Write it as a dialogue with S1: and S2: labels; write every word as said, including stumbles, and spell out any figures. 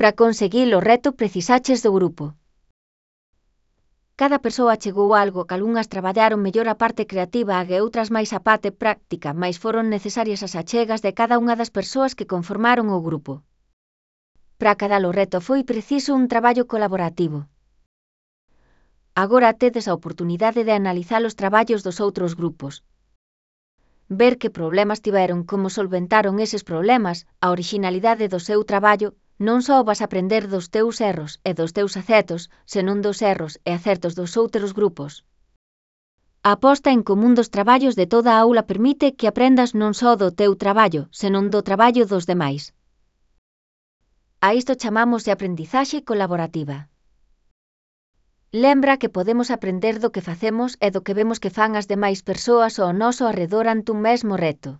S1: Para conseguir o reto precisaches do grupo. Cada persoa chegou a algo que algunhas traballaron mellor a parte creativa e outras máis a parte práctica, mais foron necesarias as achegas de cada unha das persoas que conformaron o grupo. Para cada o reto foi preciso un traballo colaborativo. Agora tedes a oportunidade de analizar os traballos dos outros grupos. Ver que problemas tiveron, como solventaron eses problemas, a orixinalidade do seu traballo. Non só vas aprender dos teus erros e dos teus acertos, senón dos erros e acertos dos outros grupos. A aposta en común dos traballos de toda a aula permite que aprendas non só do teu traballo, senón do traballo dos demais. A isto chamamos de aprendizaxe colaborativa. Lembra que podemos aprender do que facemos e do que vemos que fan as demais persoas ao noso arredor ante un mesmo reto.